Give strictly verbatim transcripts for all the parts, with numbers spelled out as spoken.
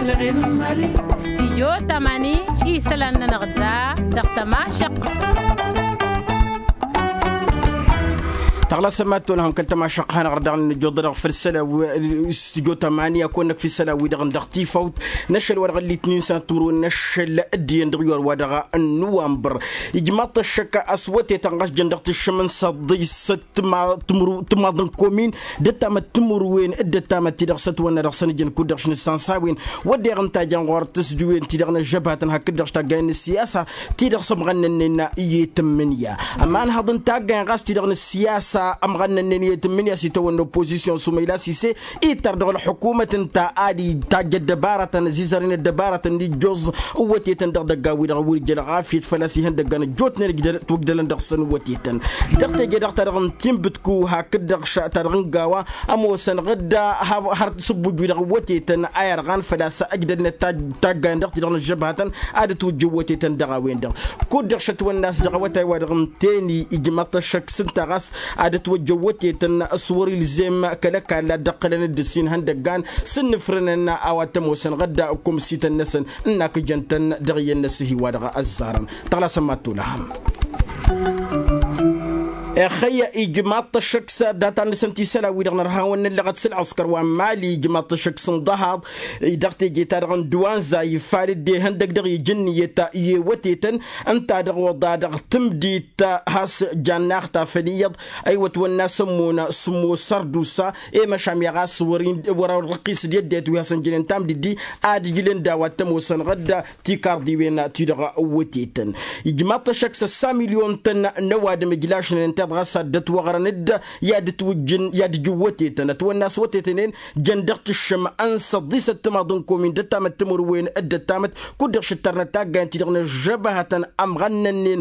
Stijyo tamani isălan-nănăɣ da dăɣ-tămašăqq. Taɣlasăm ad-tolhăm kăl-tămašăqq hanăɣ-dăɣ n-nǝjjoḍ dăɣ-făll-sălaw. Stijyo tamani ad-kăwănnăk fi-sălaw-wi-dăɣ n-dăɣ-tifawt n-ašăl wa dăɣ-ăllitnin sănat timǝrwen n-ašăl dd-iyyăn dăɣ-iwar wa dăɣ-nǝwănbăr. Ijmaḍ-t ăššăk a-s wătetăn ɣas jăn dăɣ-tǝššǝm n-săḍis tǝmmaḍ n-komin d-ăttamăt timǝrwen d-ăttamăt-ti-dăɣ s-ătwănna dăɣ-săn ǝjǝn kud-dăɣ š-nǝssansawen wădden ǝnta jăn ɣur-tǝsdǝwen-ti-dăɣ n-ăžžăbhatăn hakd-dăɣ s-taggayăn n-ăssiyasa ti-dăɣ s-ămɣănnănnen i-tǝmmǝnǝya. Ămanhăḍ n-taggayăn ɣas ti-dăɣ n-ăssiyasa ămɣănnănnen i-tǝmmǝnǝya s-itawănna oppozisyon sumăyla sise ittăr dăɣ-ălḥukumăt ǝnta ad-itajj ăddăbarătăn ăzizărăn ăddăbarătăn n-ijjoẓ n-wătetăn dăɣ-idăggan-wi-dăɣ ăwwăr ija ălɣafyăt făl-a-s ihăndăggan ăjjootnen ǝjtălăn dăɣ-săn wătetăn. Dăɣ-teje-dăɣ ta dăɣ-n tinbǝtku hakd-dăɣ ta dăɣ-n gawa ămoosăn ɣǝdda har s-ǝbbuj-wi-dăɣ wătetăn a irɣan făl-a-s ăjdălnet taggayen dăɣ-ti-dăɣ n-ăžžăbhatăn ad-ătwǝjjǝw wătetăn dăɣ-a-wen-dăɣ. Kud-dăɣ šătwănna a-s dăɣ-awătay wa dăɣ-n teni ijmaḍ-t ăššăk s-ǝnta ɣas ad-ătwăjjăw wătetăn s-wăr-ilzem kăl-ăkall ad-dd-ǝqqǝlăn d-ǝssin ihăndăggan s-ǝnnǝfrǝnăn a-wa t-ămoosăn ɣǝdda ǝkkumsităn-năsăn ǝnn'-ak ǝjăn-tăn dăɣ-iyyăn n-asǝhi wa dăɣ-ăzzarăn. Taɣlasăm mad-tolăhăm. Ixăyya ijmaḍ-t ăššăk s-data-năsăn ti isălan-wi-dăɣ nărha wăn n-ǝllăɣăt s-ǝlɣǝskăr wa n-mali ijmaḍ-t ăššăk s-ǝnḍăhaḍ. Dăɣ-teje-ta-dăɣ n-dăwanza ifal dd-ihăndăg dăɣ-iji ǝnniyăt i-ewătetăn ǝnta dăɣ-oḍa dăɣ-tǝmdit has-jannaɣ tafăn iyyăḍ. Ăywăt wănna s-ămmon s-ămmon sărdusa i-măšan i-ɣas wăr-ărrăqqis d-eddeyăt wi hasăn-jănen tamdǝddi ad-ǝjlǝn d-a-wa t-ămoosăn ɣǝdda tikarḍiwen-ti-dăɣ wătetăn. Ijmaḍ-t ăššăk s-ăssa milyon-tăn n-ăwadǝm ǝjlašnen tiḍ ɣas ad-dd-ătwăɣrăn-dd i-ad-ǝtwǝjjǝn i-ad-ǝjǝw wătetăn ătwănna a-s wătetăn-en jăn dăɣ-tǝššǝm n-săḍisăt timaḍ n-komin d-ăttamăt timǝrwen d-ăttamăt kud-dăɣ šǝttărnăt taggayăn-ti-dăɣ n-ăžžăbăhătăn ămɣănnănnen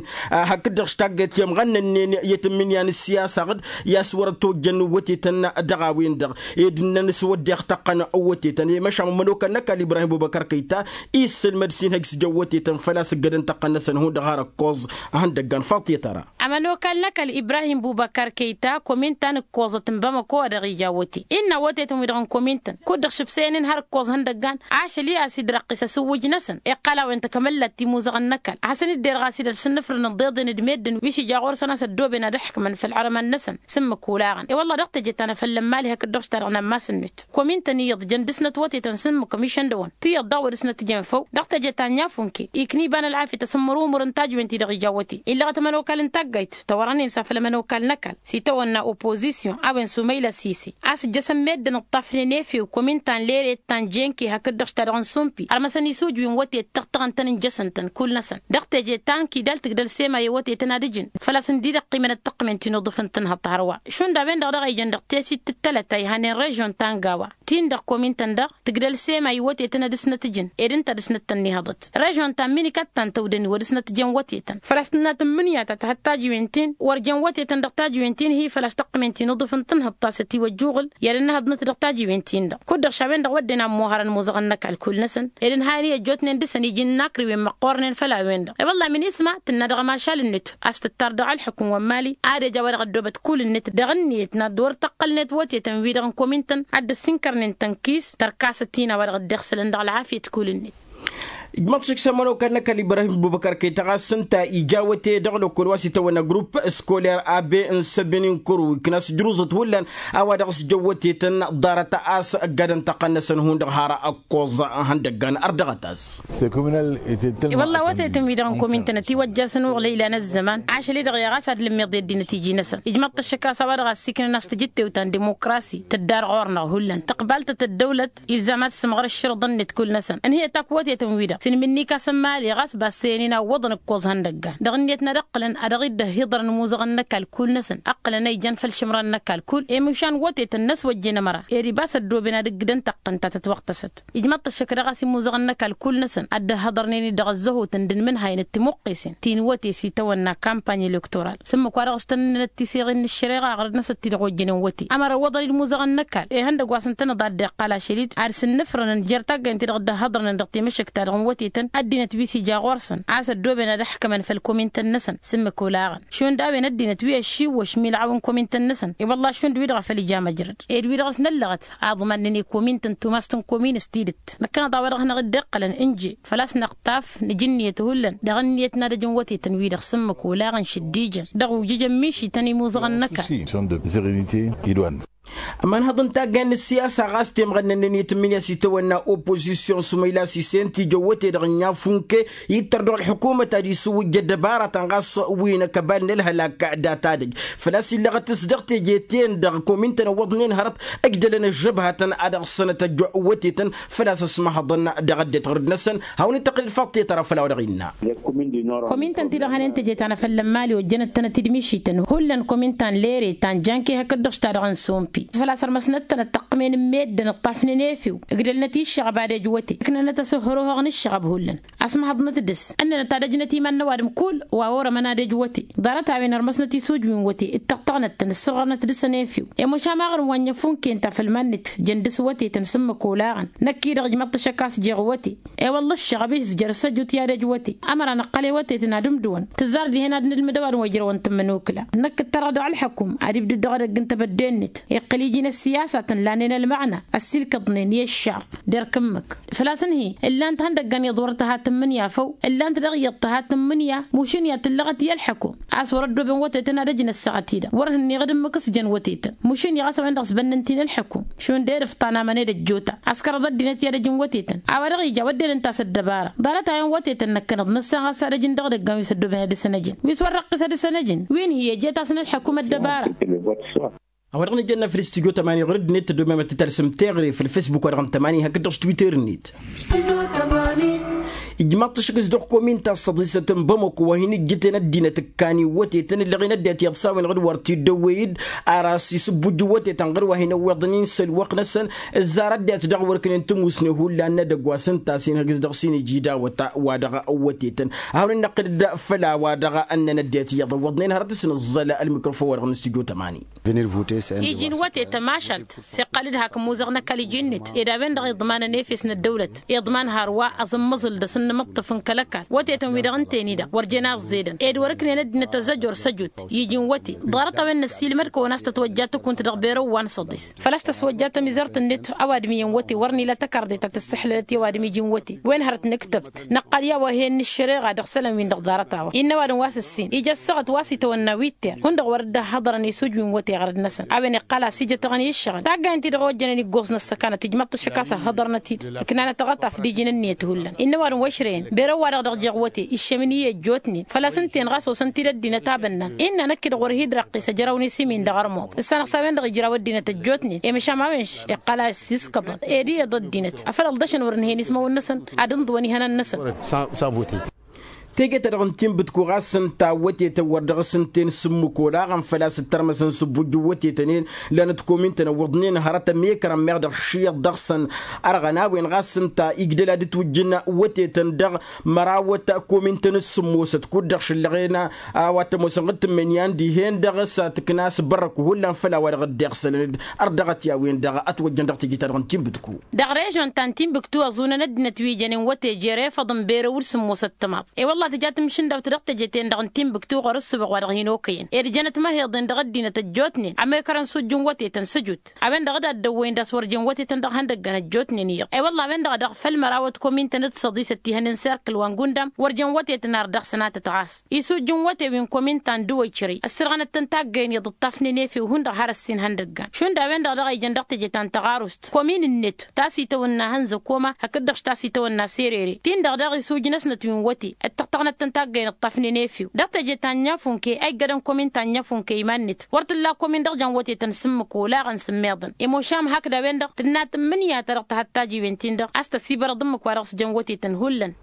hakd-dăɣ taggayăn-ti ămɣănnănnen i-tǝmmǝnǝya n-ǝssiyasa ɣǝd i-a-s wăr-ătwăjjăn wătetăn dăɣ-a-wen-dăɣ ed ǝnnăn s-wădden tăqqăn wătetăn i-măšan ămănokal n-ăkall ibrahim bubăkăr kăyta. Isǝlmăd s-inhăj s-jăn wătetăn făl-a-s ǝggădăn tăqqăn-năsăn hundăɣ har ǝkkoẓ. Ihăndăggan faḍt i-tăra. Ămănokal n-ăkall ibrahim bubăkăr kăyta komin ta n-ǝkkoẓăt n-bamăko a dăɣ-ija wăte innă wătetăn-wi-dăɣ n-komin-tăn kud-dăɣ šǝbsăyăn-in har ǝkkoẓ ihăndăggan ašăl i-a-s dd-răqqis asǝwwǝj-năsăn iqqăl a-wen tăkămăllat timuzăɣăn n-ăkall a hasăn-dd-erɣ a-s idăl s-ǝnnǝfrǝnăn ḍeḍen d-meddǝn wi s-ija ɣur-săn a-s ăddooben ad-ǝḥkǝmăn făll-ărămăn-năsăn. S-ǝmmǝk olaɣăn i-wălla dăɣ-teje ta n-afăllăn mali hakd dăɣ-š ta dăɣ-nammas-net komin-tăn iyyăḍ jăn dăr-snăt wătetăn s-ǝmmǝk ămišăn dăɣ-wăn tiyyăḍ daɣ wăr dăr-snăt jăn făw. Dăɣ-teje ta n-inyafun ke ikn'-i iba n-ălɣafyăt asǝmmăr umǝr n-tajwen ti-dăɣ ija wăte illăɣăt ămănokal n-taggayt tawărănen s-afăl ămănokal n-ăkall s-itawănna oppozisyon a-wen sumăyla sise a-s ǝjjăsăn meddǝn ǝṭṭafnen efew komin ta n-leret ta n-jenke hakd-dăɣ ta dăɣ-n sumpi ărmăsăn isujwin wătet tăɣtăɣăn-tăn ǝnjăsăn-tăn kull-năsăn. Dăɣ-teje ta n-kidal tǝgdăl sema i-wătetăn ad-ǝjǝn făl-a-s ǝndi-dăɣ ăqqimăn ăttăqqǝmen ti n-uḍǝf n-tǝnhăḍt hărwa šund a-wen-dăɣ dăɣ-a ijăn dăɣ-tesit t-tălăt a ihanen režyon ta n-gawa ti n-dăɣ komin-tăn-dăɣ tǝgdăl sema i-wătetăn ad-dăɣ-snăt ǝjǝn ed ǝnta ad-dăɣ-snăt tănnihăḍăt režyon ta n-minikăt ta n-tăwdăni wa dăɣ-snăt ǝjăn wătetăn făl-a-s tǝnnat n-imǝnǝya ta tăhăḍ tajǝwen-tin wăr jăn wătetăn dăɣ-tajǝwen-tin hi făl-a-s tăqqǝmen ti n-uḍǝf n-tǝnhǝḍt ta s-ătiwăjjuɣǝl i-ad-ănnăhăḍnăt dăɣ-tajǝwen-tin-dăɣ kud-dăɣ šawen-dăɣ wădden a ămmuhărăn imuzăɣăn n-ăkall kull-năsăn ed ǝnhayăn i-ăjjootnen dăɣ-săn iji n-inakriwen măqqoornen făll-a-wen-dăɣ i-wălla min isma tǝnna dăɣ-ămašal-net a-s tǝttar dăɣ-ălḥukǝm wa n-mali ad-ija a-wa dăɣ-ăddoobăt kull-net dăɣ-ǝnniyăt n-ad-wăr tăqqălnet wătetăn-wi-dăɣ n-komin-tăn ad-dd-ăssinkărnen tănkis tărkasăt-in a-wa dăɣ-dd-iɣsǝlăn dăɣ-ălɣafyăt kull-net. Ijmăḍ šik s-ămănokal n-ăkall ibrahim bubăkăr kăy-tăɣas ǝnta ija wăte dăɣ-lăkkol wa s-itawănna grupp skoler abe n-săbin n-kăru ikna s-ǝjruẓăt hullan a-wa dăɣ-s jăn wătetăn ḍarăt a-s ăgg-adăn tăqqăn-năsăn hundăɣ har ăkkoẓ ihăndăggan ărdăɣăt-as. I-wălla wătetăn-wi-dăɣ n-komin-tăn ătiwăjjasăn uɣlăy ilan ăzzăman ašăl-i-dăɣ i-ɣas ad-lǝmmiḍ i-ăddinăt iji-năsăn ijmăḍ-t ăššăk a-s a-wa dăɣ-assiknăn a-s tǝjǝttew ta n-dimukrasi tǝddar ɣur-năɣ hullan tǝqbal-tăt ăddăwlăt ilzam ad-sǝmɣăr ǝššǝrǝḍăn-net kull-năsăn ǝnhǝyăt akk wătetăn-wi-dăɣ s-inmǝnni kasăn mali ɣas bassăyăn-in a ǝwwăḍăn ǝkkoẓ ihăndăggan dăɣ-ǝnniyăt n-ad-ǝqqǝlăn a dăɣ-dd-ăhhiḍărăn imuzăɣăn n-ăkall kull-năsăn ǝqqǝlăn a ijăn făll-išǝmran n-ăkall kull i-măšan wătetăn n-ăswăjjen ămăra ed ibas ăddooben ad-ǝggǝdăn tăqqăn ta tătwăɣtăsăt. Ijmăḍ-t ăššăk dăɣ-a-s imuzăɣăn n-ăkall kull-năsăn ad-dd-ăhhăḍărnen-dd dăɣ-ăzzăhut n-dd-inmǝnhayăn d-timuqqesen ti n-wăte s-itawănna kampany elektoral s-ǝmmǝk wa dăɣ-s tănnănăt tiseɣen n-ăššăreɣa ɣărăd-năsăt ti-dăɣ ojjănen wăte ămăra ǝwwăḍăn-dd imuzăɣăn n-ăkall ihăndăgg wa s-ǝntăneḍ a dd-iqqal ašăl-dd ad-sǝnnǝfrănăn jer-taggayăn ti-dăɣ dd-ăhhăḍărnen dăɣ-timǝššǝkt-ta-dăɣ. wătetăn ăddinăt wi s-ija ɣur-săn a-s ăddooben ad-ăḥkămăn făll-komintăn-năsăn s-ǝmmǝk olaɣăn šund a-wen ăddinăt wi ăššiwwăš milɣaw n-komintăn-năsăn. I-wălla šund wi-dăɣ a făl ija măjrăd ed-wi-dăɣ s-năllăɣăt aḍman-nănăy komintăn tumast n-komin s-tidǝt. Năkkăneḍ a-wa dăɣ-hanăɣ-dd-iqqălăn ǝnje făl-a-s năqtaf nǝj ǝnniyăt hullan dăɣ-ǝnniyăt n-ad-ăjǝn wătetăn-wi-dăɣ s-ǝmmǝk olaɣăn šăddijăn dăɣ-ujǝj ămmišităn imuzăɣăn n-ăkall. Ămanhăḍ n-taggayn n-ǝssiyasa ɣas temɣănnăn-nănăy tǝmmǝnǝya s-itawănna oppozisyon s-umăylas isen tijăwwăte-dăɣ n-inya funke ittăr dăɣ-ălḥukumăt ad-isǝwwǝjja ăddăbarătăn ɣas wi n-akăbal n-ălhălak. Data-dăj făl-a-s illăɣăt-s dăɣ-teje-ten-dăɣ komintăn ăwwăḍnen hărăt ǝjdălăn ăžžăbhătăn ad-ăɣsănăt ăjwătetăn făl-a-s ăsmăhăḍăn dăɣ-ăddinăt ɣur-dd-năsăn. Hawăn-ităqqǝl d-faḍt tetăra făll-a-wa dăɣ-innă. Komintăn-ti-dăɣ hănen teje ta n-afăllăn mali ojjănăt-tănăt-dd mišităn hullan komintăn lere ta n-janke hakd-dăɣ s-ta-dăɣ n-sompi făl-a-s ărmăsnăt-tănăt tăqqǝmen n-meddǝn ǝṭṭafnen efew ǝgdălnăt iššăɣăb ad-ejwăte ǝknănăt asǝhhărăhoɣ n-ǝššăɣăb hullan. Ăsmăhăḍnăt dăɣ-s ǝnnănăt ad-ăjnăt iman n-ăwadǝm kull wa orămăn ad-ejwăte ḍarăt-a-wen ărmăsnăt isujwi n-wăte d-taɣtăɣnăt-tăn ǝssărɣărnăt dăɣ-săn efew. I-măšan ma ɣărǝm wa n-inyăfunk-en ta făll-iman-net jăn dăɣ-s wătetăn s-ǝmmǝk olaɣăn. Năkk-i-dăɣ ǝjmăḍ-t ašăk a-s jeɣ wăte. I-wălla ǝššăɣăb-i s-jăr s-ăjut i-ad-ejwăte ămăra năqqăl i-wătetăn ad-ǝmdǝwăn tǝzzar dihen ad-nǝlmǝd ăwadǝm wa ijrăwăn tǝmmǝnukǝla. Năkk ǝttărăɣ dăɣ-ălḥăkum ad-ibdǝd dăɣ-edăgg n-tebădde-net iqqǝl iji n-ăssiyasatăn lannen ălmăɣna ăssiilkăḍnen i-ăššar. Derk ǝmmǝk făl-a-s ǝnhǝy ǝllan-t ihăndăggăn iyyăḍ wăr tăha tǝmmǝnǝya făw ǝllan-t dăɣ-iyyăḍ tăha tǝmmǝnǝya. Mušǝnǝya tǝllăɣăt i-ălḥăkum a-s wăr-ăddooben wătetăn ad-ăjnăt săɣăt-i-dăɣ wăr hǝnniɣ d-ǝmmǝk s-jăn wătetăn. Mušǝnǝya ɣas a-wen-dăɣ s-bănnăn-t-i n-ălḥăkum šund edăf tanamăn ed ăjjoota. Ăskărăḍ ăddinăt i-ad-ăjǝn wătetăn a-wa dăɣ-ija wădden ǝnta a-s ăddăbara. Ḍarăt-a-wen wătetăn năkkăneḍ năssan ɣas ad-ăjǝn dăɣ-edăgg a-wen s-ăddooben ad-dăr-săn ăjǝn wi s-wăr răqqis ad-dăr-săn ăjǝn wi n-hi-ejet a-s n-ălḥăkum ăddăbara. A-wa dăɣ-nǝjănna făll-studyo tămani ɣur-dd-net tădomem ad-t-tălsăm teɣre făll-fesbuk wa dăɣ-n tămani hakd-dăɣ s-twitter-net. Ijmaḍ-t ašăk s-dăɣ-komin ta s-săḍisăt n-bamăko wa hin-ǝjjǝten ăddinăt ǝkkan iwwătetăn ǝllăɣen ăddinăt iyyăḍ s-a-wen-dăɣ d-wăr t-dd-ăwwey-dd. Ar a-s isǝbbujj iwwătetăn ɣur-wa hin-ăwweḍnen s-ălwăqq-năsăn ǝzzar ăddinăt dăɣ-wăr-kǝnen tămusne hullan n-edăgg wa s-ǝnta a-s hin-hăgǝs dăɣ-s hin-ija idawăt. Wa dăɣ-wătetăn ad-hawăn-dd-năqqǝl-dd făll-a-wa-dăɣ ǝnnăn ăddinăt iyyăḍ ăwwăḍnen hărăt s-nǝẓẓăl ălmikrofon-wa-dăɣ n-studyo tămani. Iji n-wătetăn mašalt s-iqqal-dd hak ǝmmuzăɣ n-ăkall iji-net ed a-wen-dăɣ iḍmanăn efes n-ăddăwlăt iḍman har wa aẓǝmmăẓǝl d-asǝnnǝmǝṭṭǝf n-kăl-ăkall wătetăn-wi-dăɣ ǝnta-en-i-dăɣ wăr jen a ăẓẓedăn ed wăr-ǝknen ăddinăt ăzzăj wăr s-ăjut. Iji n-wăte ḍarăt-a-wen năssiilmăd-kăwăn a-s tătwăjja tǝkunt dăɣ-berăw wa n-săḍis făl-a-s tăswăjja tămizărt-net. Ăwadǝm iyyăn wăte wăr n-ila tăkarḍe ta tǝssǝḥlălăt i-ăwadǝm iji n-wăte wen hărăt nǝktăbt năqqăl i-awăhen n-ǝššăreɣa dăɣ-isălan-win-dăɣ ḍarăt-a-wa innă ăwadǝm wa s-ǝssin ija ăssaɣăt wa s-itawănna wi t-tirr hundăɣ wăr dd-ăhhăḍărăn isujwi n-wăte ɣărăd-năsăn. A-wen iqqal a-s ijăt dăɣ-nǝyǝššăɣăn taggayen-ti-dăɣ ojjănen iggoẓ n-ăssăkanăt ijmăḍ-t ašăk a-s ăhhăḍărnăt-dd ǝknanăt aɣătaf d-iji n-ǝnniyăt hullan innă ăwadǝm wa ǝšrăyăn berăw-wa-dăɣ dăɣ-jeɣ wăte iššămăn-i ăjjootnen. Făl-a-s ǝnta-en ɣas osăn-t-dd ăddinăt a bănnan innă năkk-i-dăɣ wăr hi-dd-răqqis ăjrăwăn isǝm-in dăɣ-ărmuḍ ǝssanăɣ s-a-wen-dăɣ ijraw ăddinăt ăjjootnen i-măšan ma-wen-š iqqăl a-s iskăḍăn ed iyyăḍ ăddinăt afăl ălḍăšăn wăr ǝnhăyăn ismăwăn-năsăn ad-ǝnḍǝwăn ihănan-năsăn. Teje-ta-dăɣ n-tinbǝtku ɣas ǝnta wătetăn wăr dăɣ-s ǝnta-en s-ǝmmǝk olaɣăn făl-a-s ǝttărmăsăn s-ǝbbujjǝw wătetăn-en. Lanăt komintăn ăwwăḍnen hărăt ămekărăn meɣ dăɣ-išiyyăḍ dăɣ-săn ărɣăn a-wen ɣas ǝnta igdăl ad-ǝtwǝjjǝn wătetăn dăɣ-mărawăt komintăn s-sǝmmosăt kud-dăɣ šǝllăɣen a-wa t-ămoosăn ɣǝd tǝmmǝnǝya n-dihen-dăɣ s-ad-tǝkna s-bărrăku hullan făll-a-wa dăɣ-dd-iɣsălăn-dd. Ărdăɣăt i-a-wen-dăɣ ătwăjjăn dăɣ-teje-ta-dăɣ n-tinbǝtku. Dăɣ-režon ta n-tinbǝktu ăẓunăn ăddinăt wi jănen wăte jer-efăḍ n-berăw d-sǝmmosăt timaḍ i-wălla tǝja tǝmmǝšǝndawt dăɣ-teje-ten-dăɣ n-tinbǝktu ɣur-ǝssǝbăɣ wa dăɣ-hin-okăyăn ed jănăt măheḍen dăɣ-ăddinăt ăjjootnen ămekărăn s-ujjǝn wătetăn s-ǝjut. A-wen-dăɣ d-ad-dd-ăwwăyăn d-a-s wăr jen wătetăn dăɣ-ihăndăggăn ăjjootnen iyyăḍ i-wălla a-wen-dăɣ a dăɣ-făll-mărawăt komintăn d-săḍisăt ti hănen serkǝl wa n-gundam wăr jen wătetăn ar dăɣ-sănatăt ɣas isujjǝn wăte wi n-komintăn d-wăjrăy ăssărɣănăt-tăn taggăyăn iyyăḍ ǝṭṭafnen efew hundăɣ har ăssin ihăndăggan šund a-wen-dăɣ dăɣ-a ijăn dăɣ-teje ta n-tăɣarust komin-net ta s-itawănna hănzăkoma hakd-dăɣ ta s-itawănna serere-tin-dăɣ daɣ isujnăsnăt wi n-wăte d-tăɣtăɣnăt-tăn taggăyăn ǝṭṭafnen efew dăɣ-teje ta n-inyafunk eggădăn komin ta n-inyafunk iman-net wăr t-ǝlla komin dăɣ-jăn wătetăn s-ǝmmǝk olaɣăn s-ǝmmeḍăn i-mošam hakd a-wen-dăɣ tǝnna tǝmmǝnǝya-ta-dăɣ tăhăttaj iwen-tin-dăɣ a-s tăsibărăḍ ǝmmǝk wa dăɣ-s jăn wătetăn hullan.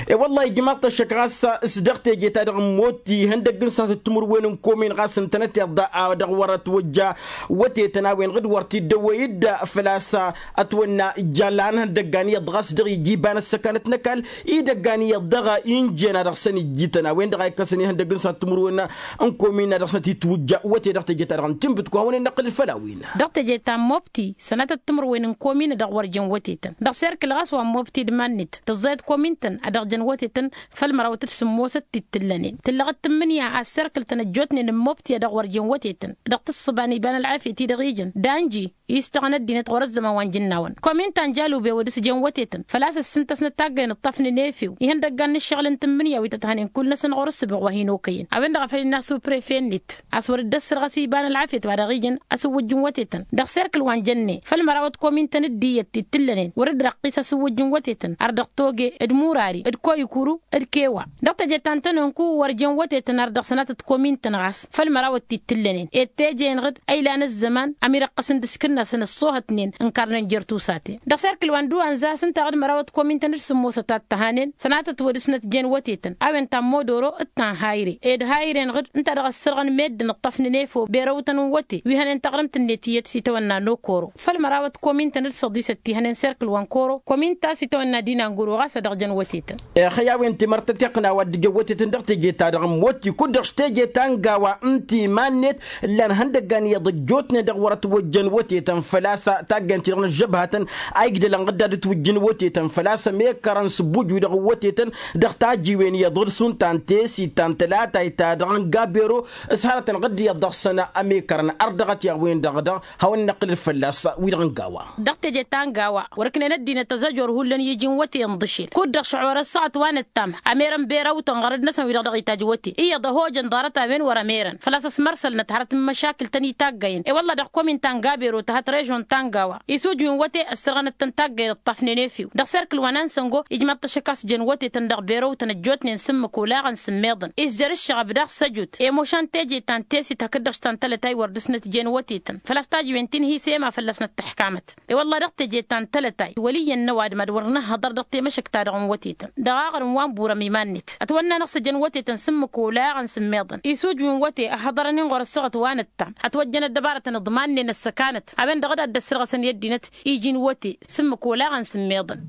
E-wălla-hi ijmaḍ-t ăššăk ɣas s-dăɣ teje-ta-dăɣ n-motti ihăndăgg n-sănatăt timǝrwen n-komin ɣas ǝntănăteḍ a dăɣ-wăr-ătwăjja wătetăn a-wen-dăɣ d-wăr t-dd-ăwwăy-dd făl-a-s ătwănna ijalla n-ihăndăggan iyyăḍ ɣas dăɣ-ija iba n-ăssăkanăt n-ăkall idăggan iyyăḍ dăɣ-injen a dăɣ-săn ijjităn a-wen-dăɣ a ikkăsăn ihăndăgg n-sănatăt timǝrwen n-komin a dăɣ-săn t-itwǝjja wăte dăɣ-teje-ta-dăɣ n-tinbǝtku hawăn-in-năqqǝlǝl făll-a-wen. Dăɣ-teje ta n-mobti sănatăt timǝrwen n-komin a dăɣ-wăr jen wătetăn dăɣ-serkǝl ɣas wa n-mobti d-iman-net tǝẓẓayăt komintăn a dăɣ-jăn wătetăn făll-mărawăt d-sǝmmosăt ti t-tǝllănen tǝllăɣăt tǝmmǝnǝya a serkǝl-tăn ăjjootnen n-mobti a dăɣ-wăr jen wătetăn dăɣ-tǝssǝba n-iba n-ălɣafyăt-i-dăɣ ijăn d-anji istăɣăn ăddinăt ɣur-ăzzăman wa n-jǝnnawăn komin ta n-jalube wăr dăr-s jen wătetăn făl-a-s ǝssǝntăsnăt taggăyăn ǝṭṭafnen efew ihăndăggan n-ǝššăɣǝl n-tǝmmǝnǝya wi tăt-hănen kull-năsăn ɣur-ǝssǝboɣ wa hin-okăyăn a-wen-dăɣ a făl innă asuprefe-net a-s wăr dd-ăssărɣăs iba n-ălɣafyăt wa dăɣ-ijăn asǝwwǝjj n-wătetăn dăɣ-serkǝl wa n-jănne făll-mărawăt komin-tăn d-iyyăt ti t-tǝllănen wăr dd-răqqis asǝwwǝjj n-wătetăn ar dăɣ-toge d-murari d-koyǝkuru d-kewa dăɣ-teje ta n-tănonku wăr jen wătetăn ar dăɣ-sănatăt komin-tăn ɣas făll-mărawăt ti t-tǝllănen ed teje-enăɣ-dd a ilan ăzzăman ămirăqqăsăn d-aškǝnnasăn ăṣṣoohătnen ǝnkarnen jer-tusaten dăɣ-serkǝl wa n-duwanza a-s ǝnta dăɣ-dd-mărawăt komin-tăn d-sǝmmosăt a t-tăhanen sănatăt wăr dăr-snăt jen wătetăn a-wen ta n-modoro d-ta n-hayre ed hayre-enăɣ-dd ǝnta dăɣ-ăssărɣăn meddǝn ǝṭṭăfnăn efew berăwtăn n-wăte wi hănen taɣrǝmt-net iyyăt s-itawănna n-okoro făll-mărawăt komin-tăn d-săḍisăt ti hănen serkǝl wa n-koro komin ta s-itawănna d-inanguro ɣas a dăɣ-jăn wătetăn. Ixăy a-wen timărt tătiqna wa dd-ijăn wătetăn dăɣ-teje-ta-dăɣ n-motti kud-dăɣ s-teje ta n-gawa n-timan-net ǝllan ihăndăggan iyyăḍ ăjjootnen dăɣ-wăr-ătwăjjăn wătetăn făl-a-s taggăyăn-ti-dăɣ n-ăžžăbhatăn a igdălăn ɣǝdda d-ǝtwǝjjǝn wătetăn făl-a-s ămekărăn s-ǝbbuj-wi-dăɣ n-wătetăn dăɣ-tajiwen iyyăḍ ɣǝr-s unta n-tesit ta n-tălatayt ta dăɣ-n gabero s-hărătăn ɣǝdd iyyăḍ dăɣ-săn ămekărăn ărdăɣăt i-a-wen-dăɣ dăɣ-hawăn-năqqǝlăl fălla-s wi-dăɣ n-gawa. Dăɣ-teje ta n-gawa wăr-ǝknen ăddinăt ăzăjor hullan i-iji n-wăte ǝnḍǝšel kud-dăɣ šăɣor ăssaɣăt wa nǝttam ămerăn berăwtăn ɣărăd-năsăn wi-dăɣ dăɣ-itaj wăte iyyăḍ ăhojăn ḍarăt a-wen wăr-ămerăn făl-a-s ăsmărsălnăt hărăt n-măšakǝl-tăn itaggăyăn i-wălla dăɣ-komin ta n-gabero tăhăt režon ta n-gawa isuj wi n-wăte ăssărɣănăt-tăn taggăyăn ǝṭṭafnen efew dăɣ-serkǝl wa n-ansăngo ijmaḍ-t ăššăk a-s jăn wătetăn dăɣ-berăwtăn ăjjootnen s-ǝmmǝk olaɣăn s-ǝmmeḍăn isjăr ǝššăɣăb daɣ s-ăjut i-mušan teje ta n-tesit hakd-dăɣ s-ta n-tălătay wăr dăr-snăt jen wătetăn făl-a-s tajiwen ti n-hi s-ema fălla-s năttăḥkamăt i-wălla dăɣ-teje ta n-tălătay wăl' iyyăn n-ăwadǝm ad-wăr nǝhhăḍăr dăɣ-temăšăkt-ta-dăɣ n-wătetăn dăɣ-aɣrǝm wa n-burăm iman-net ătwănna-năɣ s-ăjăn wătetăn s-ǝmmǝk olaɣăn s-ǝmmeḍăn isuj wi n-wăte ăhhăḍărăn-in ɣur-ăssaɣăt wa nǝttam ătwăjjăn ăddăbarătăn iḍmannen ăssăkanăt a-wen-dăɣ d-ad-dd-ăssărɣăsăn i-ăddinăt iji n-wăte s-ǝmmǝk olaɣăn s-ǝmmeḍăn.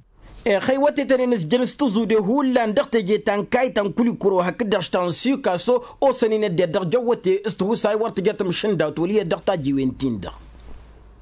Ixăy wătetăn-en ǝzjăn s-tǝẓude hullan dăɣ-teje ta n-kayt ta n-kulikuro hakd-dăɣ s-ta n-sikaso osăn-in ăddinăt dăɣ-jăn wăte s-tihusay wăr tǝja tamšǝndawt wăl' iyyăt dăɣ-tajiwen-tin-dăɣ.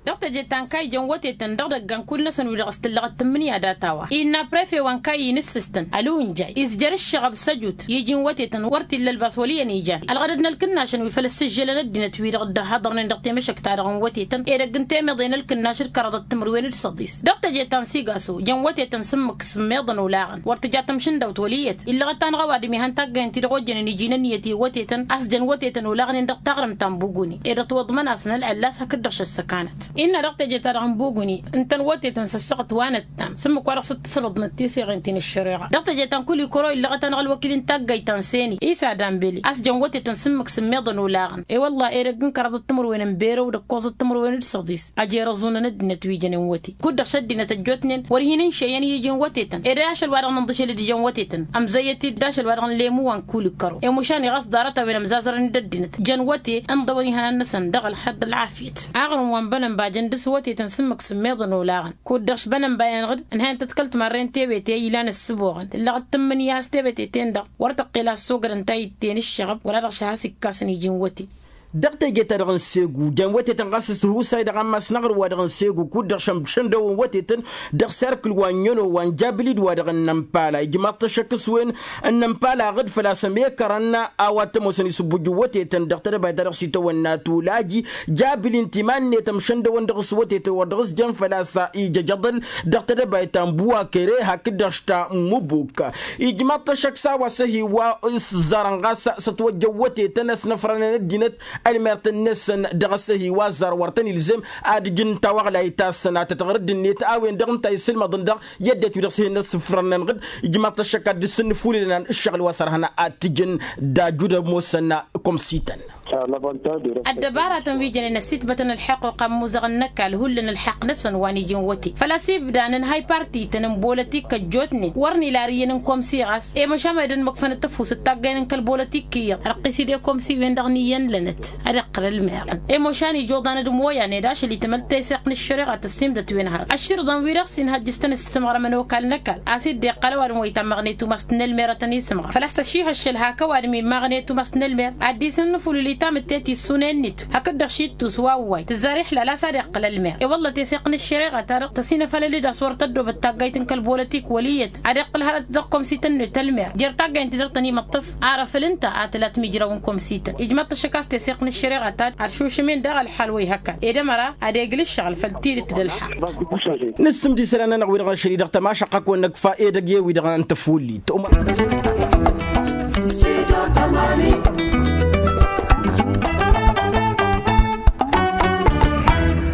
Dăɣ-teje ta n-kayt jăn wătetăn dăɣ-idăggan kull-năsăn wi-dăɣ s-tǝllăɣăt tǝmmǝnǝya data-wa innă prefe wa n-kayt inǝssǝstăn ăluwǝnjay izjăr ǝššăɣăb s-ăjut i-iji n-wătetăn wăr t-illa ălbas wăl' iyyăn ijan ălɣădăd n-ălkǝnnašăn wi făl ăssǝžžălăn ăddinăt wi-dăɣ dd-ăhhăḍărnen dăɣ-temăšăkt-ta-dăɣ n-wătetăn edăgg n-temeḍe n-ălkǝnnaš d-kăraḍăt timǝrwen d-săḍis dăɣ-teje ta n-sigaso jăn wătetăn s-ǝmmǝk s-ǝmmeḍăn olaɣăn wăr tǝja tamšǝndawt wăl' iyyăt illăɣăt-anăɣ ăwadǝm ihăn taggăyăn-ti-dăɣ ojjănen iji n-ǝnniyăt i-wătetăn a-s jăn wătetăn olaɣnen dăɣ-taɣrǝmt ta n-buguni ed ătwăḍmăn-asăn ălɣăllas hakd-dăɣ šăssăkanăt innă dăɣ-teje-ta-dăɣ n-buguni ǝntăn wătetăn s-ăssaɣăt wa nǝttam s-ǝmmǝk wa dăɣ-s dd-tǝsrǝḍnăt tiseɣen ti n-ǝššăreɣa dăɣ-teje ta n-kulikuro illăɣăt-anăɣ ălwăkil n-taggayt ta n-seni isa dambeli a-s jăn wătetăn s-ǝmmǝk s-ǝmmeḍăn olaɣăn i-wălla edăgg n-kăraḍăt timǝrwen n-berăw d-ǝkkoẓăt timǝrwen d-săḍis ăjerăẓunăn ăddinăt wi jănen wăte kud-dăɣ šăddinăt ăjjootnen wăr hin-ǝnšeyăn i-iji n-wătetăn ed ašăl wa dăɣ-nǝnḍǝšel d-ijăn wătetăn ămzăyyăt-dd ašăl wa dăɣ-nǝlemu wa n-kulikăro i-mušan iɣas ḍarăt-a-wen ămzazărăn-dd ăddinăt jăn wăte ǝnḍăwăn ihănan-năsăn dăɣ-ălxer d-ălɣafyăt aɣrǝm wa n-bănănba jăn dăɣ-s wătetăn s-ǝmmǝk s-ǝmmeḍăn olaɣăn kud-dăɣ š-bănănba-enăɣ-dd ǝnhăyăn tăḍkăl timărren tewete ilan ǝssǝboɣăn tǝllăɣ d-tǝmmǝnǝya a-s tewete-ten-dăɣ wăr tăqqel a ăssogărăn tayǝtte n-ǝššăɣăb wăla-dăɣ šăha s-ikkasăn iji n-wăte. Dăɣ-teje-ta-dăɣ n-segu jăn wătetăn ɣas s-ǝhusay dăɣ-ammas n-aɣrǝm-wa-dăɣ n-segu kud-dăɣ šăndăwăn wătetăn dăɣ-serkǝl wa n-ăno wa n-jabǝl-dd wa-dăɣ n-inămpala ijmaḍ-t ăššăk s-wen n-inămpala ɣǝd făl-a-s ămekărăn a-wa t-ămoosăn isǝbbuj n-wătetăn dăɣ-tedăbayt ta dăɣ-s itawănna tulaji jabǝl-in timan-net ămšăndăwăn dăɣ-s wătetăn wăr dăɣ-s jăn făl-a-s ijăjăḍăl dăɣ-tedăbayt ta n-buwakere hakd-dăɣ s-ta n-mubuk. Ijmaḍ-t ăššăk s-a-wa s-ăhi wa s-ẓarăn ɣas s-ătwăjjăn wătetăn ăsnăfrănăn ăddinăt ălmert-năsăn dăɣ-s ăhi wa ăzzar wăr tăn-ilzem ad-ǝjǝn tawăɣlayt-asăn ad-tătɣăr dd-net a-wen-dăɣ ǝnta a isǝlmăḍăn dăɣ-i ăddinăt wi dăɣ-s hin-ăssǝfrănăn ɣǝd. Ijmaḍ-t ăššăk ad-dd-sǝnnǝfulǝlăn ǝššăɣǝl wa s-ărhăn ad-t-ǝjǝn d-ajud ămoosăn. Komsităn. Ăddăbaratăn wi jănen ăssitbătăn ălḥăqquqa n-imuzăɣăn n-ăkall hullan ălḥăqq-năsăn wa n-iji n-wăte făl-a-s ibda nǝnhay partităn n-bolătik ăjjootnen wăr n-ilarǝyyăn n-komsi ɣas i-măšan ma ed ănmăkfănăt ăfuss d-taggaynen kăl-bolătik iyyăḍ răqqis-dd i-komsi-wen-dăɣ n-iyyăn lănăt ad-iqqǝl ălmer. I-măšan ijoḍan d-imoyan ed ašăl itmăl teseɣt n-ăššăreɣa tăssimdăt-wen hărăt ăšširḍăn-wi-dăɣ s-inhăjjǝs-tăn ǝssǝmɣărămăn okal n-ăkall a-s dd-iqqăl ăwadǝm wa itammăɣnet umast n-ălmer ad-tăn-isǝmɣăr făl-a-s tăšihăššăl hak ăwadǝm immăɣnet umast n-ălmer ad-dd-isǝnnǝf ulǝl itamǝtte tissunen-net hakd-dăɣ šittus wa ǝwway tǝzzar iḥlal a-s ad-iqqǝl ălmer i-wălla teseɣt n-ăššăreɣa-ta-dăɣ tăsinăfalăl-dd a-s wăr tăddobăt taggayt n-kăl-bolătik wăl' iyyăt ad-iqqǝl hărăt dăɣ-komsităn-net ălmer jer-taggayt-net dăr-tăn-imǝṭṭǝf. Arăfăl ǝnta a tǝla timǝjraw n-komsităn ijmăḍ-t ašăk a-s teseɣt n-ăššăreɣa-ta-dăɣ ad-šušǝm-in daɣ ălḥal wa ihăkkan ed ămăra ad-egl ǝššăɣǝl făll-tidǝt d-ălḥal. Nǝssǝmd isălan-nănăɣ wi-dăɣ n-ašăl-i-dăɣ tămašăqqăk-wăn n-ǝkfa edăgg i-wi-dăɣ n-tăfuullit.